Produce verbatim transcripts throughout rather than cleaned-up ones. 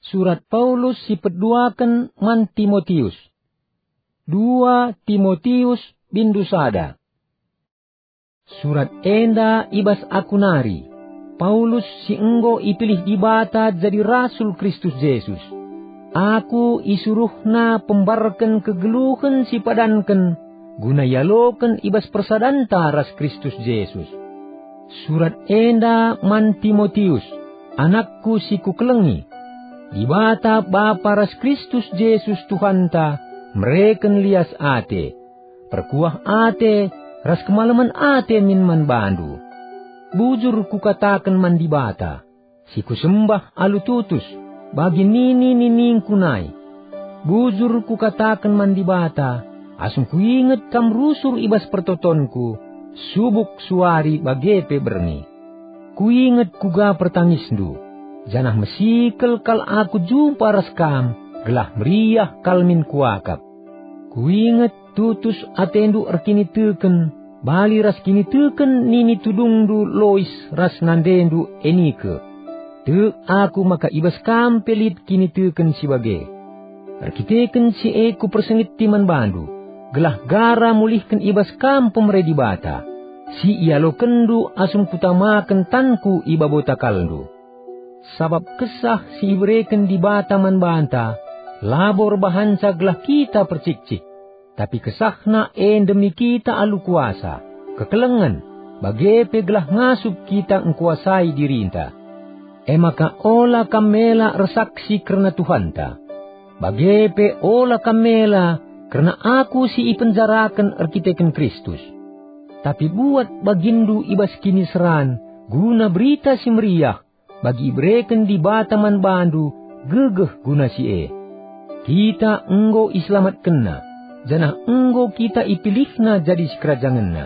Surat Paulus si peduaken man Timotius. Dua Timotius bindu sada. Surat enda i bas aku nari, Paulus si enggo ipilih Dibata jadi rasul Kristus Jesus. Aku isuruhNa pembarken kegeluhen si padanken guna ialoken i bas persadanta ras Kristus Jesus. Surat enda man Timotius, anakku si kukelengi. Dibata Bapa ras Kristus Jesus Tuhanta mereken lias ate, perkuah ate, ras kemalemen ate min man bandu. Bujur kukataken man Dibata, si kusembah alu tutus, bagi nini-niningku nai. Bujur kukataken man Dibata, asum kuinget kam rusur i bas pertotonku, subuk suari bage pe berngi. Kuinget kuga pertangisndu, janah mesikel kal aku jumpa ras kam, gelah meriah kal min kuakap. Kuinget tutus atendu erkiniteken, bali ras kiniteken nini tudungndu Lois ras nandendu Enike. Tek aku maka i bas kam pe lit kiniteken si bage. Erkiteken si e kupersingeti man bandu, gelah gara mulihken i bas kam pemere Dibata, si ialokenndu asum kutamaken tanku i babo takalndu. Sabap kesah si ibereken Dibata man banta labo erbahanca gelah kita percikcik, tapi kesahna e ndemi kita alu kuasa, kekelengen, bage pe gelah ngasup kita ngkuasai dirinta. E maka ola kam mela ersaksi kerna Tuhanta, bage pe ola kam mela kerna aku si ipenjaraken erkiteken Kristus. Tapi buat baginndu i bas kiniseran guna Berita Si Meriah, bagi ibereken Dibata man bandu gegeh guna si e. Kita enggo iselamatkenNa, janah enggo kita ipilihNa jadi sikerajangenNa,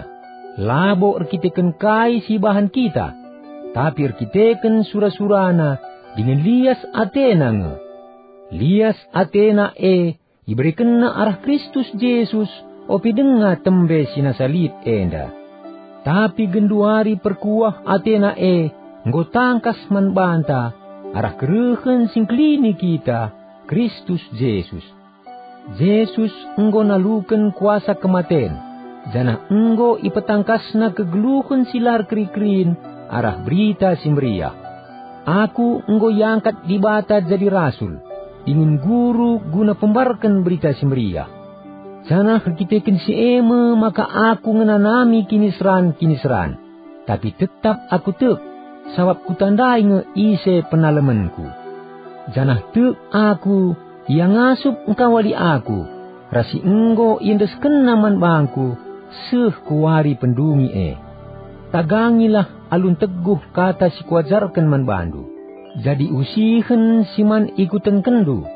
labo erkiteken kai si ibahan kita, tapi erkiteken sura-suraNa dingen lias ateNa nge. Lias ateNa e iberekenNa arah Kristus Jesus, ope denga tembe si nasa lit enda. Tapi genduari perkuah ateNa e enggo tangkas man banta arah kerehen si ngkelini kita, Kristus Jesus. Jesus enggo naluken kuasa kematen, janah enggo ipetangkasNa kegeluhen si la erkeri-kerin arah Berita Si Meriah. Aku enggo iangkat Dibata jadi rasul dingen guru guna pembarken Berita Si Meriah. Janah erkiteken si e me maka aku ngenanami kiniseran-kiniseran, tapi tetap aku tek, sabap kutandai nge ise penalemenku. Janah tek aku, Ia ngasup engkawali aku, ras si enggo iendeskenNa man bangku, seh ku wari pendungi e. Tagangilah alu nteguh kata si kuajarken man bandu, jadi usihen si man ikutenkenndu.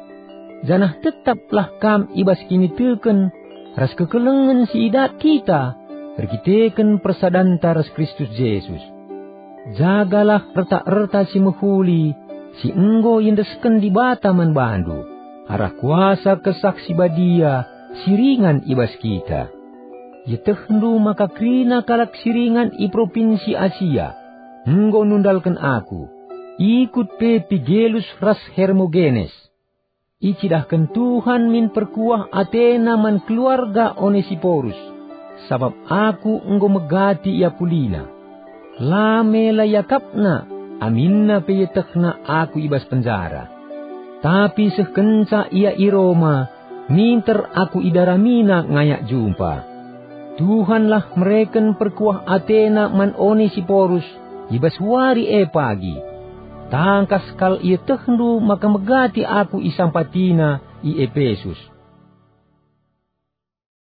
Janah tetaplah kam i bas kiniteken ras kekelengen si idat kita erkiteken persadanta ras Kristus Jesus. Jagalah erta-erta si mehuli si enggo iendesken Dibata man bandu, arah kuasa Kesah Si Badia si ringan i bas kita. Ietehndu maka kerina kalak si ringan i Propinsi Asia enggo nundalken aku, ikut pe Pigelus ras Hermogenes. Icidahken Tuhan min perkuah ateNa man keluarga Onesiporus, sabap aku enggo megati ia pulina. La mela iakapna, aminna pe ietehna aku i bas penjara. Tapi seh kenca ia i Roma, minter aku idaramina ngayak jumpa. Tuhanlah mereken perkuah ateNa man Onesiporus i bas wari e pagi. Tangkas kal ietehndu maka megati aku isampatina i Epesus.